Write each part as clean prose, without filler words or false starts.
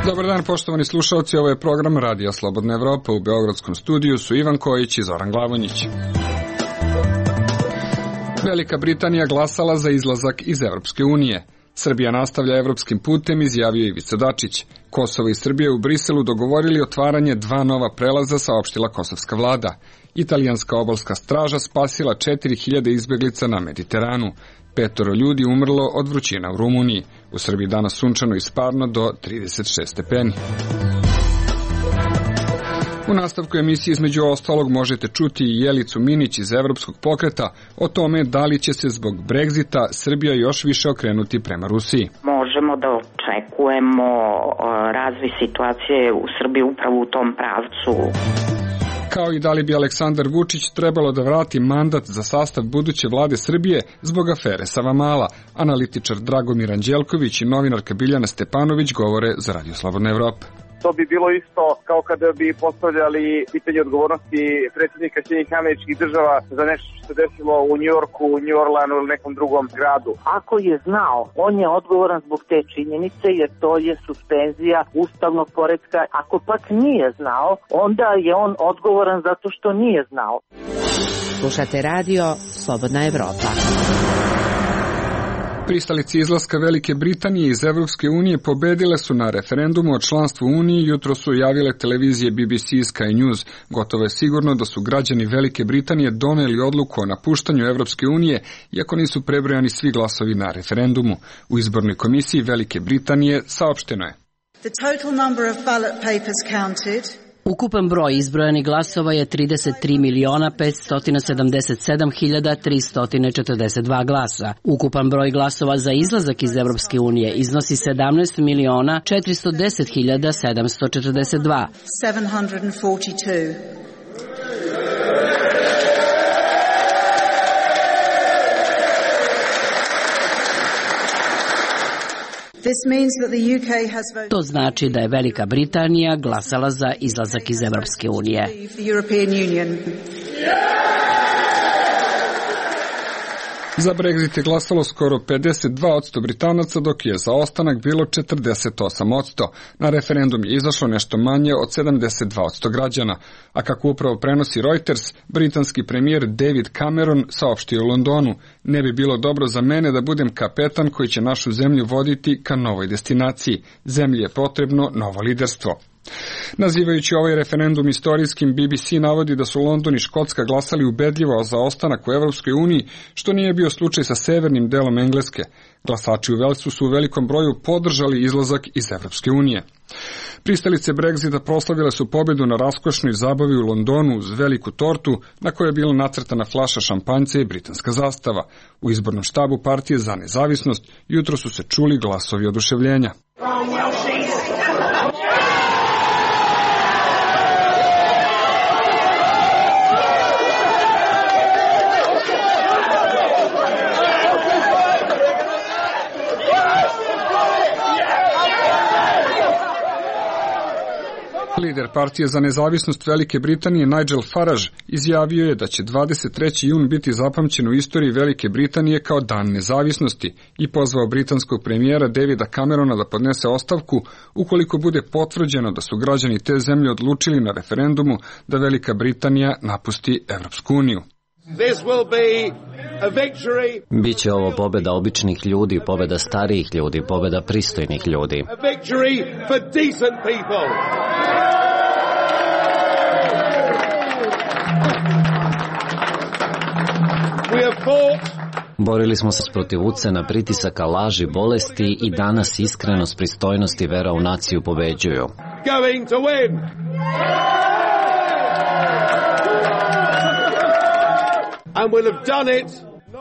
Dobar dan, poštovani slušalci, ovo je program Radija Slobodna Evropa. U beogradskom studiju su Ivan Kojić i Zoran Glavonjić. Velika Britanija glasala za izlazak iz Evropske unije. Srbija nastavlja evropskim putem, izjavio Ivica Dačić. Kosovo i Srbija u Briselu dogovorili otvaranje 2 nova prelaza, saopštila kosovska vlada. Italijanska obalska straža spasila 4000 izbeglica na Mediteranu. 5 ljudi umrlo od vrućina u Rumuniji. U Srbiji danas sunčano i sparno do 36 stepeni. U nastavku emisije između ostalog možete čuti i Jelicu Minić iz Evropskog pokreta o tome da li će se zbog Brexita Srbija još više okrenuti prema Rusiji. Možemo da očekujemo razvoj situacije u Srbiji upravo u tom pravcu. Kao i da li bi Aleksandar Vučić trebalo da vrati mandat za sastav buduće vlade Srbije zbog afere Savamala. Analitičar Dragomir Anđelković i novinarka Biljana Stepanović govore za Radio Slobodna Evropa. To bi bilo isto kao kada bi postavljali pitanje odgovornosti predsjednika Sjedinjenih Američkih Država za nešto što se desilo u Njujorku, New Orleanu ili nekom drugom gradu. Ako je znao, on je odgovoran zbog te činjenice jer to je suspenzija ustavnog poretka. Ako pak nije znao, onda je on odgovoran zato što nije znao. Slušate Radio Slobodna Evropa. Pristalice izlaska Velike Britanije iz Evropske unije pobedile su na referendumu o članstvu u Uniji, jutro su javile televizije BBC i Sky News. Gotovo je sigurno da su građani Velike Britanije doneli odluku o napuštanju Evropske unije, iako nisu prebrojani svi glasovi na referendumu. U izbornoj komisiji Velike Britanije saopšteno je: ukupan broj izbrojanih glasova je 33.577.342 glasa. Ukupan broj glasova za izlazak iz Evropske unije iznosi 17.410.742. To znači da je Velika Britanija glasala za izlazak iz Evropske unije. Za Brexit je glasalo skoro 52% Britanaca, dok je za ostanak bilo 48%. Na referendum je izašlo nešto manje od 72% građana. A kako upravo prenosi Reuters, britanski premijer David Cameron saopštio u Londonu: ne bi bilo dobro za mene da budem kapetan koji će našu zemlju voditi ka novoj destinaciji. Zemlji je potrebno novo liderstvo. Nazivajući ovaj referendum istorijskim, BBC navodi da su London i Škotska glasali ubedljivo za ostanak u Evropskoj uniji, što nije bio slučaj sa severnim delom Engleske. Glasači u Velsu su u velikom broju podržali izlazak iz Evropske unije. Pristalice Brexita proslavile su pobedu na raskošnoj zabavi u Londonu uz veliku tortu na kojoj je bila nacrtana flaša šampanjca i britanska zastava. U izbornom štabu partije za nezavisnost jutro su se čuli glasovi oduševljenja. Lider partije za nezavisnost Velike Britanije Nigel Farage izjavio je da će 23. jun biti zapamćen u istoriji Velike Britanije kao dan nezavisnosti i pozvao britanskog premijera Davida Camerona da podnese ostavku ukoliko bude potvrđeno da su građani te zemlje odlučili na referendumu da Velika Britanija napusti Evropsku uniju. Biće ovo pobeda običnih ljudi, pobeda starijih ljudi, pobeda pristojnih ljudi. Borili smo se protiv ucena, pritisaka, laži, bolesti i danas iskrenost, pristojnost i vera u naciju pobeđuju.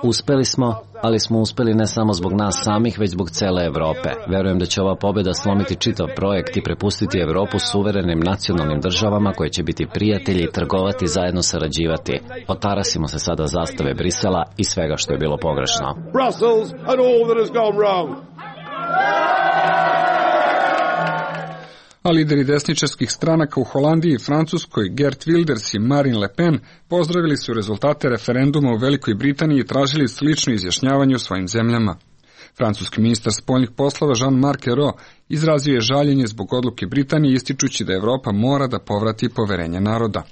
Uspeli smo, ali smo uspeli ne samo zbog nas samih, već zbog cele Evrope. Verujem da će ova pobjeda slomiti čitav projekt i prepustiti Evropu suverenim nacionalnim državama koje će biti prijatelji, trgovati, zajedno sarađivati. Otarasimo se sada zastave Brisela i svega što je bilo pogrešno. A lideri desničarskih stranaka u Holandiji i Francuskoj, Geert Wilders i Marine Le Pen, pozdravili su rezultate referenduma u Velikoj Britaniji i tražili slično izjašnjavanje u svojim zemljama. Francuski ministar spoljnih poslova Jean-Marc Ayrault izrazio je žaljenje zbog odluke Britanije, ističući da Evropa mora da povrati poverenje naroda.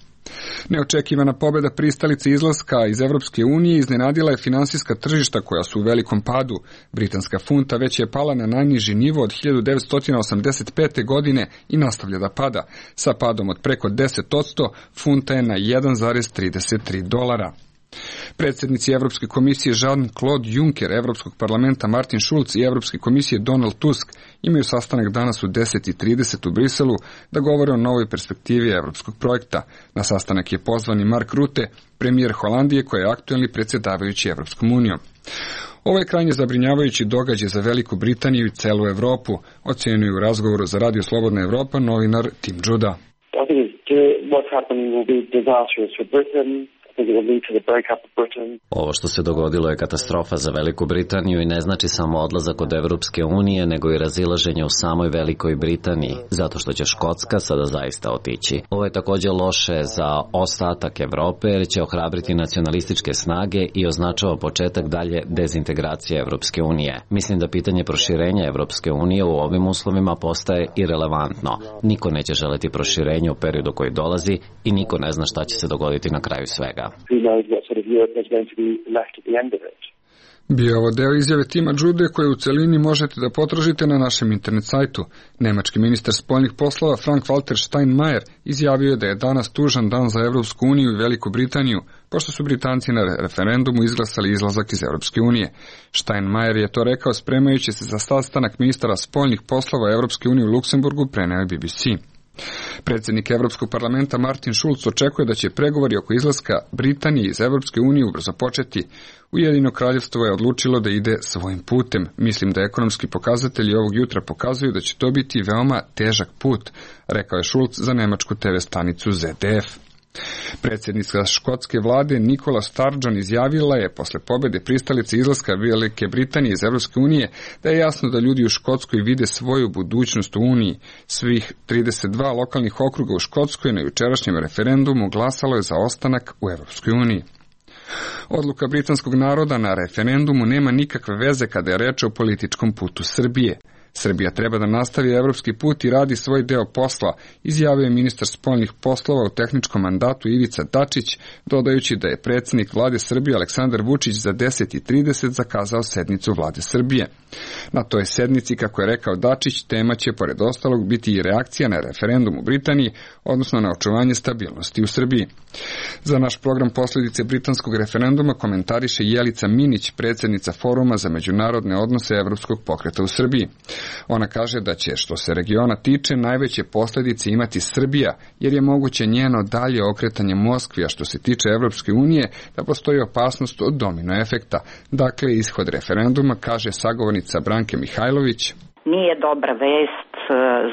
Neočekivana pobjeda pristalice izlaska iz Evropske unije iznenadila je finansijska tržišta koja su u velikom padu. Britanska funta već je pala na najniži nivo od 1985. godine i nastavlja da pada. Sa padom od preko 10%, funta je na $1,33. Predsjednici Evropske komisije Jean-Claude Juncker, Evropskog parlamenta Martin Schulz i Evropske komisije Donald Tusk imaju sastanak danas u 10:30 u Briselu da govore o novoj perspektivi evropskog projekta. Na sastanak je pozvan i Mark Rutte, premijer Holandije koji je aktuelni predsjedavajući Evropskom unijom. Ovo je krajnje zabrinjavajući događaj za Veliku Britaniju i celu Evropu, ocenjuje u razgovoru za Radio Slobodna Evropa novinar Tim Judah. Ovo što se dogodilo je katastrofa za Veliku Britaniju i ne znači samo odlazak od Evropske unije, nego i razilaženje u samoj Velikoj Britaniji, zato što će Škotska sada zaista otići. Ovo je također loše za ostatak Evrope, jer će ohrabriti nacionalističke snage i označava početak dalje dezintegracije Evropske unije. Mislim da pitanje proširenja Evropske unije u ovim uslovima postaje irelevantno. Niko neće želeti proširenje u periodu koji dolazi i niko ne zna šta će se dogoditi na kraju svega. Bio ovo deo izjave Tima Jude koje u celini možete da potražite na našem internet sajtu. Nemački ministar spoljnih poslova Frank-Walter Steinmeier izjavio je da je danas tužan dan za Evropsku uniju i Veliku Britaniju, pošto su Britanci na referendumu izglasali izlazak iz Evropske unije. Steinmeier je to rekao spremajući se za sastanak ministara spoljnih poslova Evropske unije u Luksemburgu, preneo je BBC. Predsjednik Evropskog parlamenta Martin Schulz očekuje da će pregovori oko izlaska Britanije iz Evropske unije ubrzo početi. Ujedinjeno kraljevstvo je odlučilo da ide svojim putem. Mislim da ekonomski pokazatelji ovog jutra pokazuju da će to biti veoma težak put, rekao je Schulz za nemačku TV stanicu ZDF. Predsjednica škotske vlade Nicola Sturgeon izjavila je posle pobjede pristalice izlaska Velike Britanije iz Evropske unije da je jasno da ljudi u Škotskoj vide svoju budućnost u Uniji. Svih 32 lokalnih okruga u Škotskoj na jučerašnjem referendumu glasalo je za ostanak u Evropskoj uniji. Odluka britanskog naroda na referendumu nema nikakve veze kada je reč o političkom putu Srbije. Srbija treba da nastavi evropski put i radi svoj deo posla, izjavio je ministar spoljnih poslova u tehničkom mandatu Ivica Dačić, dodajući da je predsjednik vlade Srbije Aleksandar Vučić za 10:30 zakazao sednicu vlade Srbije. Na toj sednici, kako je rekao Dačić, tema će pored ostalog biti i reakcija na referendum u Britaniji, odnosno na očuvanje stabilnosti u Srbiji. Za naš program Posljedice britanskog referenduma komentariše Jelica Minić, predsjednica Foruma za međunarodne odnose Evropskog pokreta u Srbiji. Ona kaže da će, što se regiona tiče, najveće posljedice imati Srbija, jer je moguće njeno dalje okretanje Moskvi, a što se tiče Evropske unije, da postoji opasnost od domino efekta. Dakle, ishod referenduma, kaže sagovornica Branke Mihajlović, nije dobra vest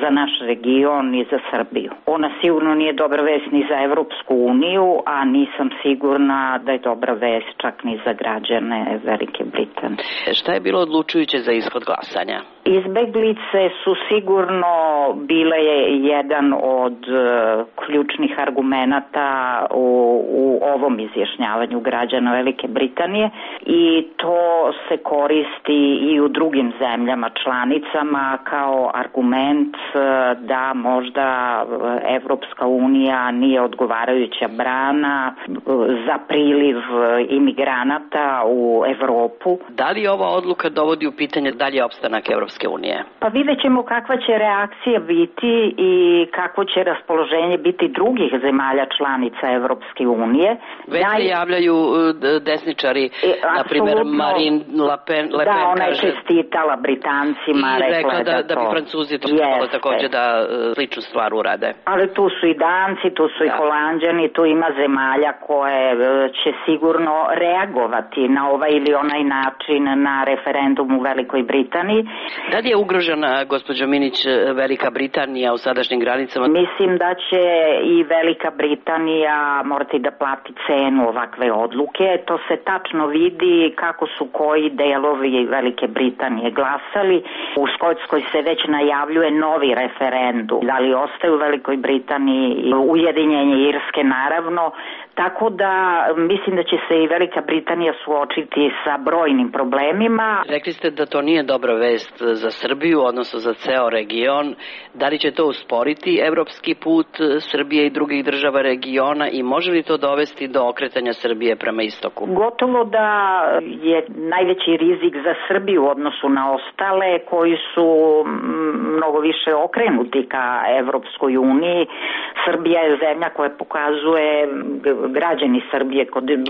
za naš region ni za Srbiju. Ona sigurno nije dobra vest ni za Evropsku uniju, a nisam sigurna da je dobra vest čak ni za građane Velike Britanije. Šta je bilo odlučujuće za ishod glasanja? Izbeglice su sigurno bile jedan od ključnih argumenata u ovom izjašnjavanju građana Velike Britanije i to se koristi i u drugim zemljama članicama kao argument da možda Evropska unija nije odgovarajuća brana za priliv imigranata u Evropu. Da li ova odluka dovodi u pitanje dalje opstanak Evropske unije? Pa vidjet ćemo kakva će reakcija biti i kakvo će raspoloženje biti drugih zemalja članica Evropske unije. Već se javljaju desničari, na primjer Marine Le Pen. Da, ona je čestitala Britancima, rekla je da bi Francuzi to trebalo također da sličnu stvar urade. Ali tu su i Danci, tu su i Holanđani, tu ima zemalja koje će sigurno reagovati na ovaj ili onaj način na referendum u Velikoj Britaniji. Da li je ugrožena, gospođo Minić, Velika Britanija u sadašnjim granicama? Mislim da će i Velika Britanija morati da plati cenu ovakve odluke. To se tačno vidi kako su koji delovi Velike Britanije glasali. U Škotskoj se već najavljuje najavljuje novi referendum. Da li ostaje u Velikoj Britaniji, ujedinjenje Irske naravno, tako da mislim da će se i Velika Britanija suočiti sa brojnim problemima. Rekli ste da to nije dobra vest za Srbiju, odnosno za ceo region. Da li će to usporiti evropski put Srbije i drugih država regiona i može li to dovesti do okretanja Srbije prema istoku? Gotovo da je najveći rizik za Srbiju u odnosu na ostale koji su mnogo više okrenuti ka Evropskoj uniji. Srbija je zemlja koja pokazuje, građani Srbije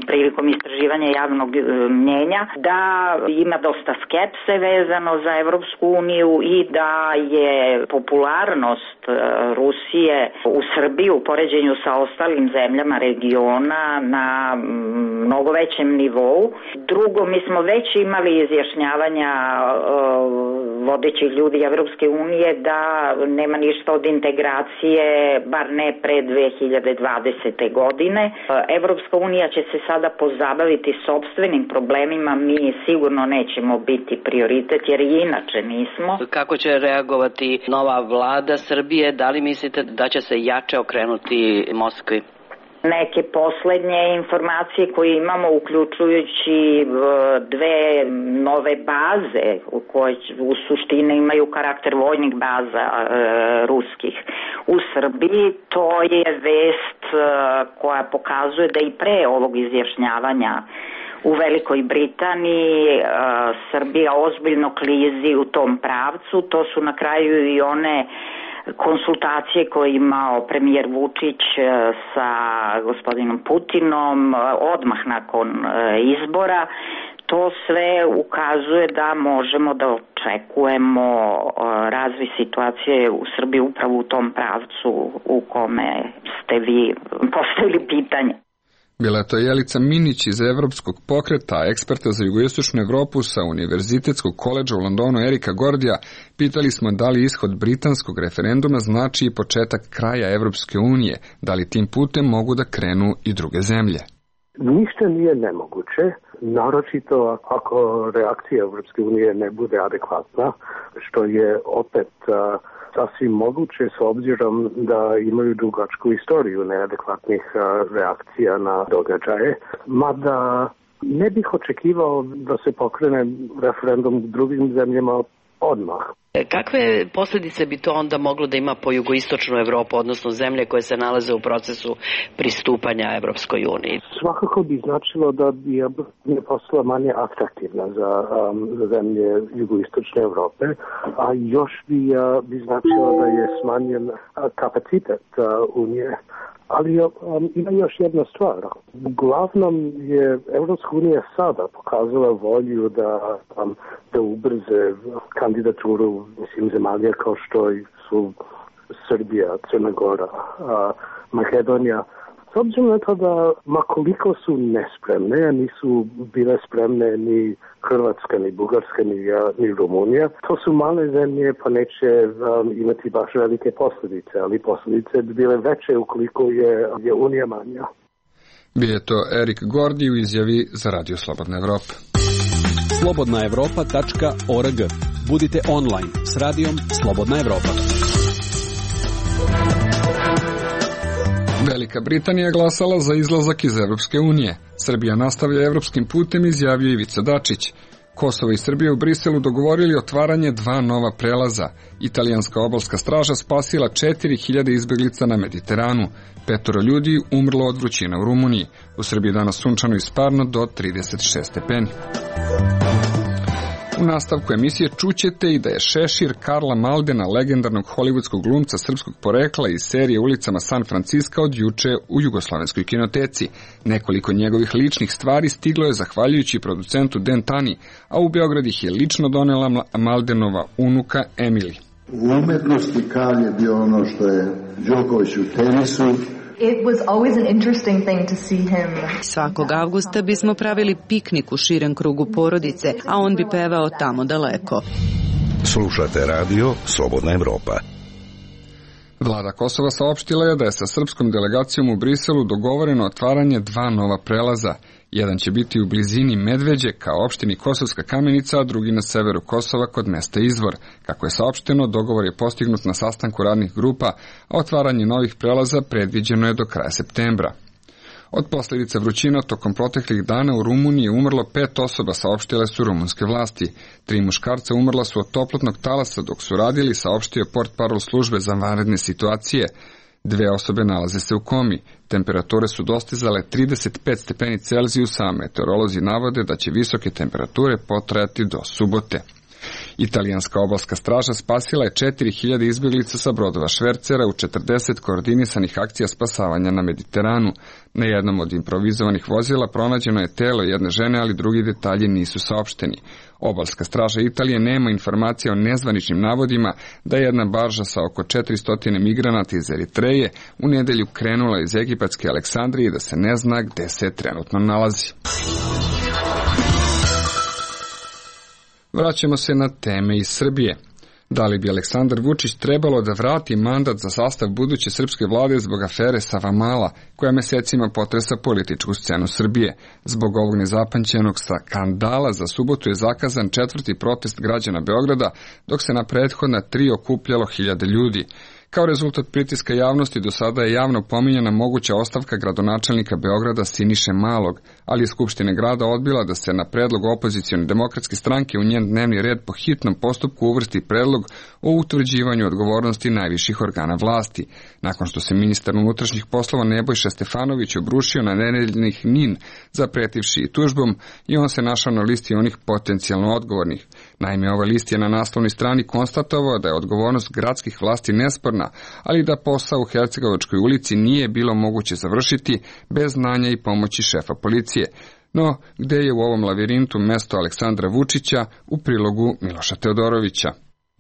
prilikom istraživanja javnog mnjenja, da ima dosta skepse vezano za Evropsku uniju i da je popularnost Rusije u Srbiji u poređenju sa ostalim zemljama regiona na mnogo većem nivou. Drugo, mi smo već imali izjašnjavanja vodećih ljudi Evropske unije da nema ništa od integracije, bar ne pre 2020. godine. Evropska unija će se sada pozabaviti sopstvenim problemima, mi sigurno nećemo biti prioritet jer i inače nismo. Kako će reagovati nova vlada Srbije? Da li mislite da će se jače okrenuti Moskvi? Neke poslednje informacije koje imamo, uključujući dve nove baze koje u suštini imaju karakter vojnih baza ruskih u Srbiji, to je vest koja pokazuje da i pre ovog izjašnjavanja u Velikoj Britaniji Srbija ozbiljno klizi u tom pravcu. To su na kraju i one konsultacije koje je imao premijer Vučić sa gospodinom Putinom odmah nakon izbora. To sve ukazuje da možemo da očekujemo razvoj situacije u Srbiji upravo u tom pravcu u kome ste vi postavili pitanje. Bila je to Jelica Minić iz Evropskog pokreta, eksperta za jugoistočnu Evropu sa Univerzitetskog koledža u Londonu Erika Gordija. Pitali smo da li ishod britanskog referenduma znači i početak kraja Evropske unije, da li tim putem mogu da krenu i druge zemlje. Ništa nije nemoguće, naročito ako reakcija Evropske unije ne bude adekvatna, što je opet sasvim moguće s obzirom da imaju dugačku istoriju neadekvatnih reakcija na događaje, mada ne bih očekivao da se pokrene referendum u drugim zemljama odmah. Kakve posljedice bi to onda moglo da ima po jugoistočnu Evropu, odnosno zemlje koje se nalaze u procesu pristupanja Evropskoj uniji? Svakako bi značilo da bi je postala manje atraktivna za zemlje jugoistočne Evrope, a još bi značilo da je smanjen kapacitet Unije. Ali ima još jedna stvar. Uglavnom je Evropska unija sada pokazala volju da ubrze kandidaturu zemalja kao što su Srbija, Crna Gora, Makedonija. S obzirom na to da makoliko su nespremne, nisu bile spremne ni Hrvatska, ni Bugarska, ni Rumunija, to su male zemlje pa neće imati baš velike posljedice, ali posljedice bi bile veće ukoliko je Unija manja. Bio je to Erik Gordi u izjavi za Radio Slobodna Evropa. slobodnaevropa.org. Budite online s radijom Slobodna Evropa. Velika Britanija glasala za izlazak iz Evropske unije. Srbija nastavlja evropskim putem, izjavio Ivica Dačić. Kosovo i Srbija u Briselu dogovorili otvaranje 2 nova prelaza. Italijanska obalska straža spasila 4000 izbeglica na Mediteranu. 5 ljudi umrlo od vrućine u Rumuniji. U Srbiji danas sunčano i sparno do 36 stepeni. U nastavku emisije čućete i da je šešir Karla Maldena, legendarnog hollywoodskog glumca srpskog porekla iz serije Ulicama San Francisca od juče u Jugoslovenskoj kinoteci. Nekoliko njegovih ličnih stvari stiglo je zahvaljujući producentu Dan Tani, a u Beograd ih je lično donela Maldenova unuka Emily. U umetnosti Karl je bio ono što je Đoković u tenisu. It was always an interesting thing to see him. Svakog avgusta bismo pravili piknik u širem krugu porodice, a on bi pevao tamo daleko. Slušate radio Slobodna Evropa. Vlada Kosova saopštila je da je sa srpskom delegacijom u Briselu dogovoreno otvaranje 2 nova prelaza. Jedan će biti u blizini Medveđe kao opštini Kosovska Kamenica, a drugi na severu Kosova kod mesta Izvor. Kako je saopšteno, dogovor je postignut na sastanku radnih grupa, a otvaranje novih prelaza predviđeno je do kraja septembra. Od posljedica vrućina tokom proteklih dana u Rumuniji je umrlo 5 osoba, saopštile su rumunske vlasti. 3 muškarca umrla su od toplotnog talasa dok su radili, saopštio portparol službe za vanredne situacije. 2 osobe nalaze se u komi. Temperature su dostizale 35 stepeni Celzijusa, a meteorolozi navode da će visoke temperature potrajati do subote. Italijanska obalska straža spasila je 4000 izbjeglica sa brodova švercera u 40 koordinisanih akcija spasavanja na Mediteranu. Na jednom od improvizovanih vozila pronađeno je telo jedne žene, ali drugi detalji nisu saopšteni. Obalska straža Italije nema informacija o nezvaničnim navodima da je jedna barža sa oko 400 migranata iz Eritreje u nedelju krenula iz egipatske Aleksandrije i da se ne zna gde se trenutno nalazi. Vraćamo se na teme iz Srbije. Da li bi Aleksandar Vučić trebalo da vrati mandat za sastav buduće srpske vlade zbog afere Savamala, koja mesecima potresa političku scenu Srbije? Zbog ovog nezapamćenog skandala za subotu je zakazan 4. protest građana Beograda, dok se na prethodna 3 okupljalo 1000 ljudi. Kao rezultat pritiska javnosti do sada je javno pominjana moguća ostavka gradonačelnika Beograda Siniše Malog, ali je Skupština grada odbila da se na predlog opozicione demokratske stranke u njen dnevni red po hitnom postupku uvrsti predlog o utvrđivanju odgovornosti najviših organa vlasti. Nakon što se ministar unutrašnjih poslova Nebojša Stefanović obrušio na nedeljnih NIN zapretivši i tužbom, i on se našao na listi onih potencijalno odgovornih. Naime, ovaj list je na naslovnoj strani konstatovao da je odgovornost gradskih vlasti nesporna, ali da posao u Hercegovačkoj ulici nije bilo moguće završiti bez znanja i pomoći šefa policije. No, gde je u ovom lavirintu mesto Aleksandra Vučića, u prilogu Miloša Teodorovića?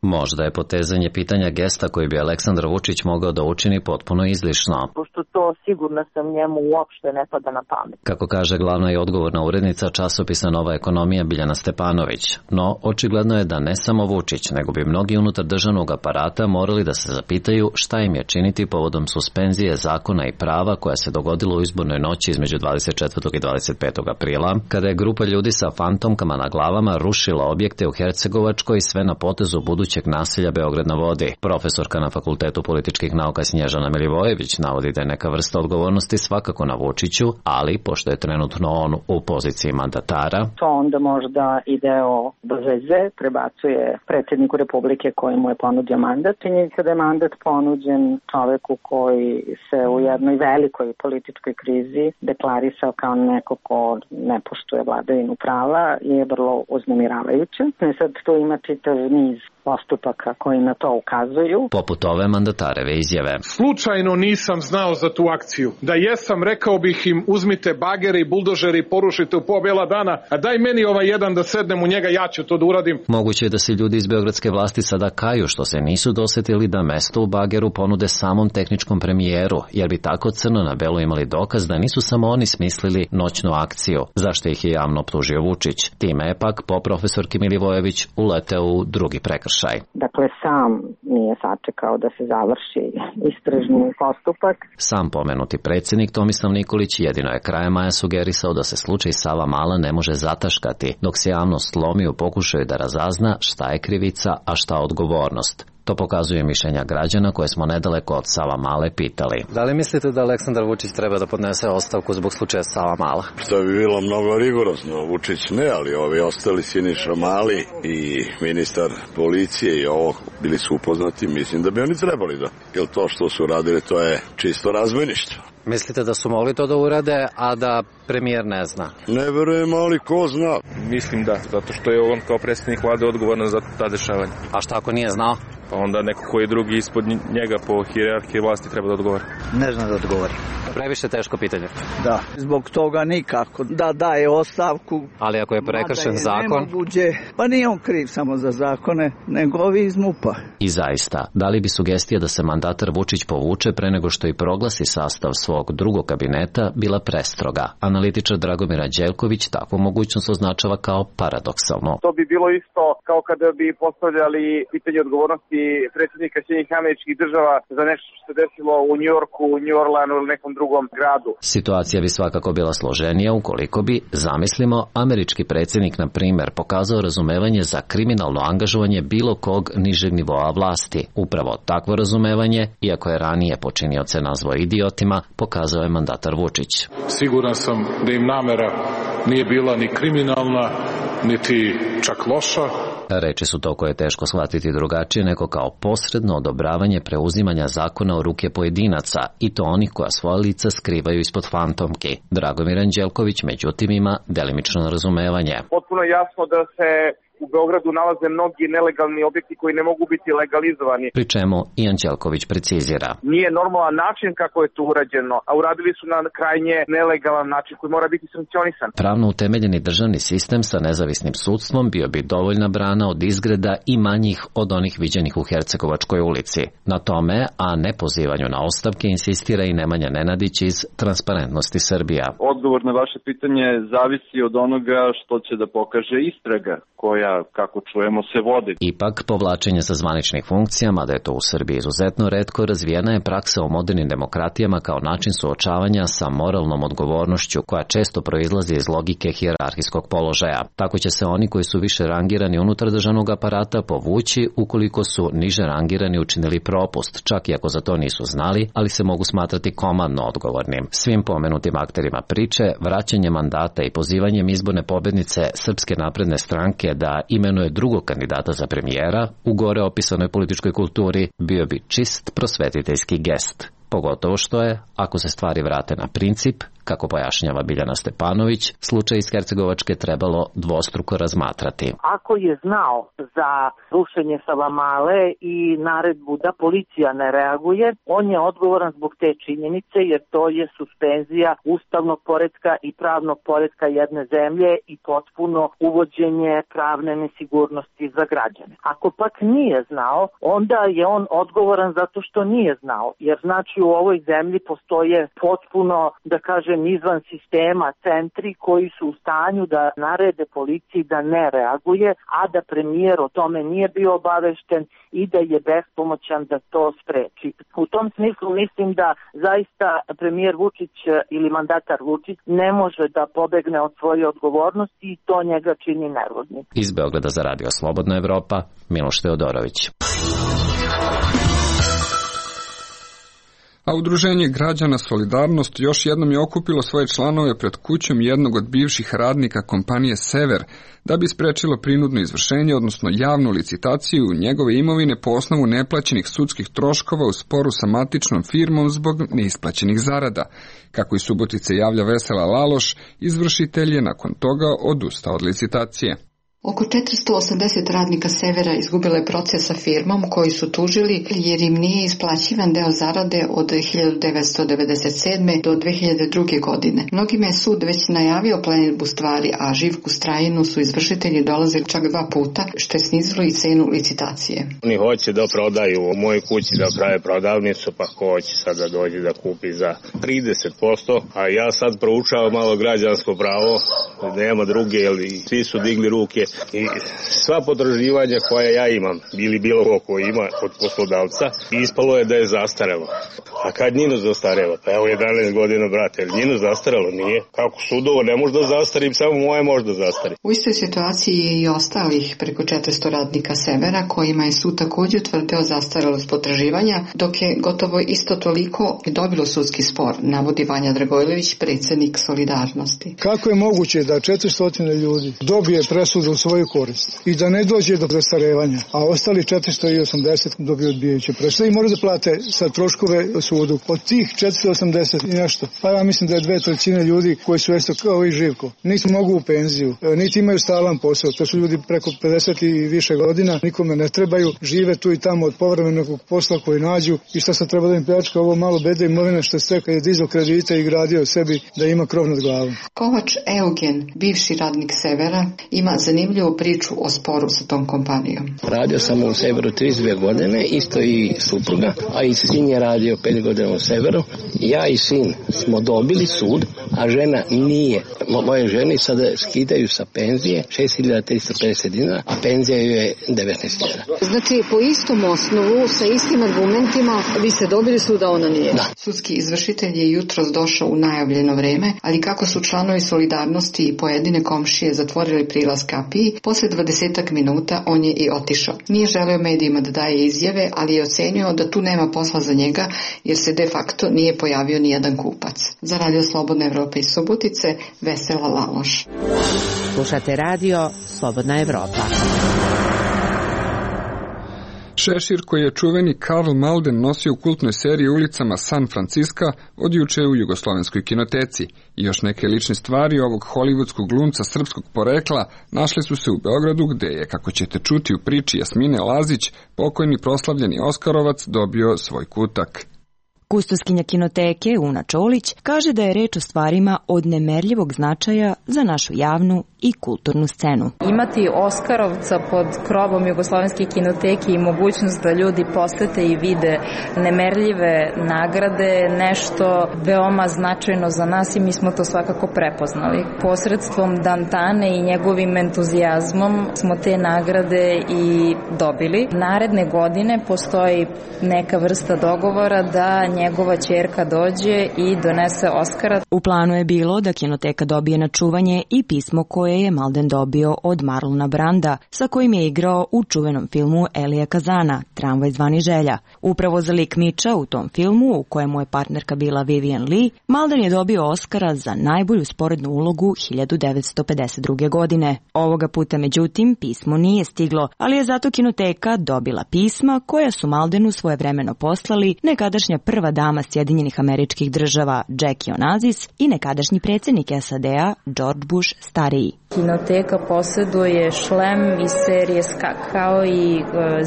Možda je potezanje pitanja gesta koji bi Aleksandar Vučić mogao da učini potpuno izlišno. Pošto to sigurno sam njemu uopšte ne pada na pamet. Kako kaže glavna i odgovorna urednica časopisa Nova ekonomija Biljana Stepanović. No, očigledno je da ne samo Vučić, nego bi mnogi unutar državnog aparata morali da se zapitaju šta im je činiti povodom suspenzije zakona i prava koja se dogodila u izbornoj noći između 24. i 25. aprila, kada je grupa ljudi sa fantomkama na glavama rušila objekte u Hercegovačkoj, sve na potezu budućeg naselja Beograd na vodi. Profesorka na Fakultetu političkih nauka Snježana Milivojević navodi da je neka vrsta odgovornosti svakako na Vučiću, ali pošto je trenutno on u poziciji mandatara, to onda možda i deo bez veze prebacuje predsjedniku Republike koji mu je ponudio mandat. Činjenica da je mandat ponuđen čoveku koji se u jednoj velikoj političkoj krizi deklarisao kao neko ko ne poštuje vladavinu prava je vrlo uznemiravajuće. Sad tu ima čitav niz postupaka koji na to ukazuju. Poput ove mandatareve izjave. Slučajno nisam znao za tu akciju. Da jesam, rekao bih im uzmite bagere i buldožere i porušite u pobjela dana, a daj meni ovaj jedan da sednem u njega, ja ću to da uradim. Moguće je da se ljudi iz beogradske vlasti sada kaju što se nisu dosetili da mesto u bageru ponude samom tehničkom premijeru, jer bi tako crno na belo imali dokaz da nisu samo oni smislili noćnu akciju, zašto ih je javno optužio Vučić. Time je pak po profesorki Milivojević uleteo u drugi prekršaj. Dakle, sam nije sačekao da se završi istražni postupak. Sam pomenuti predsjednik Tomislav Nikolić jedino je krajem maja sugerisao da se slučaj Savamala ne može zataškati, dok se javnost slomi u pokušaju da razazna šta je krivica, a šta odgovornost. To pokazuje mišljenja građana koje smo nedaleko od Savamale pitali. Da li mislite da Aleksandar Vučić treba da podnese ostavku zbog slučaja Savamala? Što bi bilo mnogo rigorozno. Vučić ne, ali ovi ostali Siniša Mali i ministar policije i ovo bili su upoznati, mislim da bi oni trebali da. Jer to što su radili, to je čisto razbojništvo. Mislite da su mogli to da urade, a da premijer ne zna? Ne verujem, ali ko zna? Mislim da, zato što je on kao predsjednik vlade odgovoran za ta dešavanja. A šta ako nije znao? Pa onda neko koji je drugi ispod njega po hijerarhiji vlasti treba da odgovori. Ne zna da odgovori. Previše teško pitanje. Da, zbog toga nikako da daje ostavku. Ali ako je prekršen zakon? Nemoguće. Pa nije on kriv samo za zakone, nego ovi iz MUP-a. I zaista, da li bi sugestija da se mandatar Vučić povuče pre nego što i proglasi sastav svog drugog kabineta bila prestroga? Analitičar Dragomir Anđelković takvu mogućnost označava kao paradoksalno. To bi bilo isto kao kada bi postavljali pitanje odgovornosti odgovornosti predsjednika Sjedinjenih Američkih Država za nešto što se desilo u Njujorku, New Orleanu ili nekom drugom gradu. Situacija bi svakako bila složenija ukoliko bi, zamislimo, američki predsjednik, na primjer, pokazao razumevanje za kriminalno angažovanje bilo kog nižeg nivoa vlasti. Upravo takvo razumevanje, iako je ranije počinioce nazvao idiotima, pokazao je mandatar Vučić. Siguran sam da im namera nije bila ni kriminalna, niti čak loša. Reči su to koje je teško shvatiti drugačije nego kao posredno odobravanje preuzimanja zakona u ruke pojedinaca, i to onih koja svoja lica skrivaju ispod fantomki. Dragomir Anđelković međutim ima delimično razumevanje. Potpuno jasno da se u Beogradu nalaze mnogi nelegalni objekti koji ne mogu biti legalizovani. Pri čemu i Anđelković precizira. Nije normalan način kako je to urađeno, a uradili su na krajnje nelegalan način koji mora biti sankcionisan. Pravno utemeljeni državni sistem sa nezavisnim sudstvom bio bi dovoljna brana od izgreda i manjih od onih viđenih u Hercegovačkoj ulici. Na tome, a ne pozivanju na ostavke, insistira i Nemanja Nenadić iz Transparentnosti Srbija. Odgovor na vaše pitanje zavisi od onoga što će da pokaže istraga koja, kako čujemo, se vodi. Ipak, povlačenje sa zvaničnih funkcija, mada je to u Srbiji izuzetno retko, razvijena je praksa u modernim demokratijama kao način suočavanja sa moralnom odgovornošću koja često proizlazi iz logike hijerarhijskog položaja. Tako će se oni koji su više rangirani unutar državnog aparata povući ukoliko su niže rangirani učinili propust, čak i ako za to nisu znali, ali se mogu smatrati komandno odgovornim. Svim pomenutim akterima priče, vraćanje mandata i pozivanjem izborne pobednice Srpske napredne stranke da imenuje drugog kandidata za premijera u gore opisanoj političkoj kulturi bio bi čist prosvetiteljski gest. Pogotovo što je, ako se stvari vrate na princip, kako pojašnjava Biljana Stepanović, slučaj iz Hercegovačke trebalo dvostruko razmatrati. Ako je znao za rušenje Savamale i naredbu da policija ne reaguje, on je odgovoran zbog te činjenice, jer to je suspenzija ustavnog poretka i pravnog poretka jedne zemlje i potpuno uvođenje pravne nesigurnosti za građane. Ako pak nije znao, onda je on odgovoran zato što nije znao, jer znači u ovoj zemlji postoje potpuno, da kažem, izvan sistema centri koji su u stanju da narede policiji da ne reaguje, a da premijer o tome nije bio obavešten i da je bespomoćan da to spreči. U tom smislu mislim da zaista premijer Vučić ili mandatar Vučić ne može da pobegne od svoje odgovornosti i to njega čini nervoznim. Iz Beograda za Radio Slobodna Evropa, Miloš Teodorović. A Udruženje građana Solidarnost još jednom je okupilo svoje članove pred kućom jednog od bivših radnika kompanije Sever da bi sprečilo prinudno izvršenje, odnosno javnu licitaciju njegove imovine po osnovu neplaćenih sudskih troškova u sporu sa matičnom firmom zbog neisplaćenih zarada. Kako i Subotice javlja Vesela Laloš, izvršitelj je nakon toga odustao od licitacije. Oko 480 radnika Severa izgubilo je proces sa firmom koji su tužili jer im nije isplaćivan deo zarade od 1997. do 2002. godine. Mnogima je sud već najavio plenidbu stvari, a Živku Strajinu su izvršitelji dolazili čak 2 puta, što je snizilo i cenu licitacije. Oni hoće da prodaju u mojoj kući, da prave prodavnicu, pa hoće sad da dođe da kupi za 30%, a ja sad proučavam malo građansko pravo, nema druge, jer svi su digli ruke. I sva potraživanja koja ja imam, ili bilo ko ima od poslodavca, ispalo je da je zastarelo. A kad njino zastarelo? Pa evo 11 godina, brate, njino zastarelo nije. Kako sudovo ne može da zastarim, samo moje može da zastari. U istoj situaciji je i ostalih preko 400 radnika Severa, kojima je sud također utvrdio zastarelost potraživanja, dok je gotovo isto toliko dobilo sudski spor, navodi Vanja Dragojlević, predsjednik Solidarnosti. Kako je moguće da 400 ljudi dobije presudu u svoju korist i da ne dođe do zastarevanja, a ostali 480 dobiju odbijajuće presude i moraju da plate sa troškove sudu. Od tih 480 i nešto, pa ja mislim da je 2/3 ljudi koji su isto kao i Živko. Niti mogu u penziju, niti imaju stalan posao. To su ljudi preko 50 i više godina, nikome ne trebaju, žive tu i tamo od povremenog posla koji nađu i šta se treba da im pljačka ovo malo bede imovine što se kad je dizao kredite i gradio sebi da ima krov nad glavom. Kovač Eugen, bivši radnik Severa, ima zanimljiv zanimljivu priču o sporu sa tom kompanijom. Radio sam u Severu 32 godine, isto i supruga, a i sin je radio 5 godina u Severu. Ja i sin smo dobili sud, a žena nije. Moje žene sada skidaju sa penzije 6.350 dinara, a penzija ju je 19.000. Znači, po istom osnovu, sa istim argumentima, vi ste dobili sud, a ona nije. Da. Sudski izvršitelj je jutros došao u najavljeno vreme, ali kako su članovi Solidarnosti i pojedine komšije zatvorili prilaz kapiji, posle 20 minuta on je i otišao. Nije želeo medijima da daje izjave, ali je ocenio da tu nema posla za njega, jer se de facto nije pojavio ni jedan kupac. Za Radio Slobodna Evropa iz Subotice, Vesela Laloš. Slušate radio Slobodna Evropa. Šešir koji je čuveni Karl Malden nosio u kultnoj seriji ulicama San Francisca od juče u Jugoslovenskoj kinoteci. I još neke lične stvari ovog hollywoodskog glumca srpskog porekla našle su se u Beogradu, gde je, kako ćete čuti u priči Jasmine Lazić, pokojni proslavljeni Oskarovac dobio svoj kutak. Kustoskinja kinoteke Una Čolić kaže da je reč o stvarima od nemerljivog značaja za našu javnu i kulturnu scenu. Imati Oskarovca pod krovom Jugoslovenske kinoteke i mogućnost da ljudi posete i vide nemerljive nagrade, nešto veoma značajno za nas i mi smo to svakako prepoznali. Posredstvom Dantane i njegovim entuzijazmom smo te nagrade i dobili. Naredne godine postoji neka vrsta dogovora da njegova ćerka dođe i donese Oskara. U planu je bilo da kinoteka dobije na čuvanje i pismo koje je Malden dobio od Marlona Branda, sa kojim je igrao u čuvenom filmu Elija Kazana, Tramvaj zvani Želja. Upravo za lik Miča u tom filmu, u kojemu je partnerka bila Vivian Lee, Malden je dobio Oskara za najbolju sporednu ulogu 1952. godine. Ovoga puta, međutim, pismo nije stiglo, ali je zato kinoteka dobila pisma koja su Maldenu svojevremeno poslali nekadašnja prva dama Sjedinjenih Američkih Država Jackie Onassis i nekadašnji predsjednik SAD-a George Bush stariji. Kinoteka posjeduje šlem iz serije Skak, kao i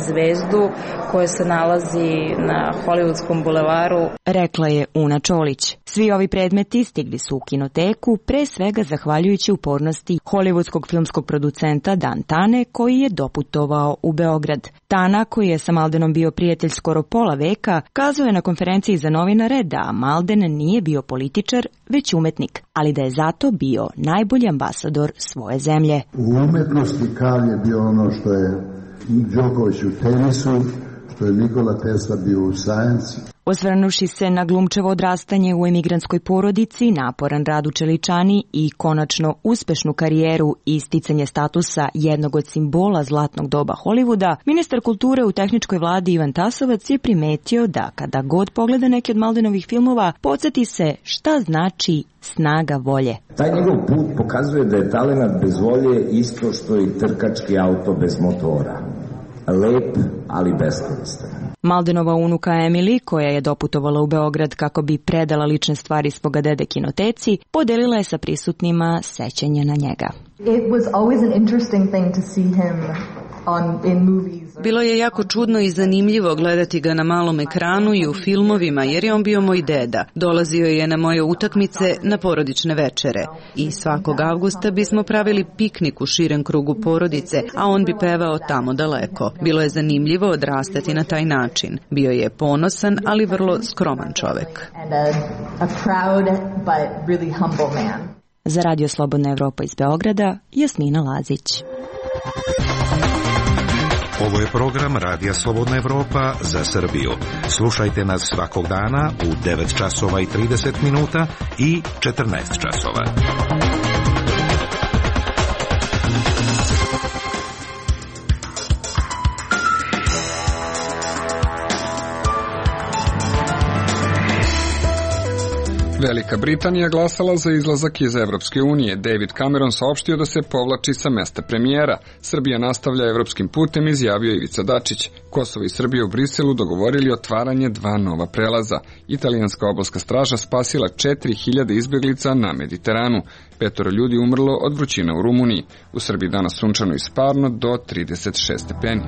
zvezdu koja se nalazi na Hollywoodskom bulevaru. Rekla je Una Čolić. Svi ovi predmeti stigli su u kinoteku, pre svega zahvaljujući upornosti hollywoodskog filmskog producenta Dan Tane, koji je doputovao u Beograd. Tana, koji je sa Maldenom bio prijatelj skoro pola veka, kazao je na konferenciji za novinare da Malden nije bio političar, već umetnik, ali da je zato bio najbolji ambasador svoje zemlje. U umetnosti Karl je bio ono što je Đoković u tenisu, što je Nikola Tesla bio u sajansi. Osvrnuši se na glumčevo odrastanje u emigrantskoj porodici, naporan rad u Čeličani i konačno uspešnu karijeru i isticanje statusa jednog od simbola zlatnog doba Hollywooda, ministar kulture u tehničkoj vladi Ivan Tasovac je primetio da kada god pogleda neki od Maldenovih filmova, podsjeti se šta znači snaga volje. Taj njegov put pokazuje da je talenat bez volje isto što i trkački auto bez motora. Lep, ali beskoristan. Maldenova unuka Emily, koja je doputovala u Beograd kako bi predala lične stvari svoga dede kinoteci, podelila je sa prisutnima sećanje na njega. It was always an interesting thing to see him in movies. Bilo je jako čudno i zanimljivo gledati ga na malom ekranu i u filmovima, jer je on bio moj deda. Dolazio je na moje utakmice, na porodične večere. I svakog avgusta bismo pravili piknik u širem krugu porodice, a on bi pevao tamo daleko. Bilo je zanimljivo odrastati na taj način. Bio je ponosan, ali vrlo skroman čovek. A proud but really humble man. Za Radio Slobodna Evropa iz Beograda, Jasmina Lazić. Ovo je program Radija Slobodna Evropa za Srbiju. Slušajte nas svakog dana u 9 časova i 30 minuta i 14 časova. Velika Britanija glasala za izlazak iz Evropske unije. David Cameron saopštio da se povlači sa mesta premijera. Srbija nastavlja evropskim putem, izjavio Ivica Dačić. Kosovo i Srbija u Briselu dogovorili otvaranje 2 nova prelaza. Italijanska obalska straža spasila 4000 izbjeglica na Mediteranu. 5 ljudi umrlo od vrućine u Rumuniji. U Srbiji danas sunčano i sparno do 36 stepeni.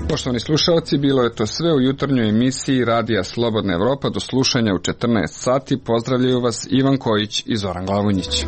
Poštovani slušalci, bilo je to sve u jutarnjoj emisiji Radija Slobodna Evropa. Do slušanja u 14 sati. Pozdravljaju vas Ivan Kojić i Zoran Glavonjić.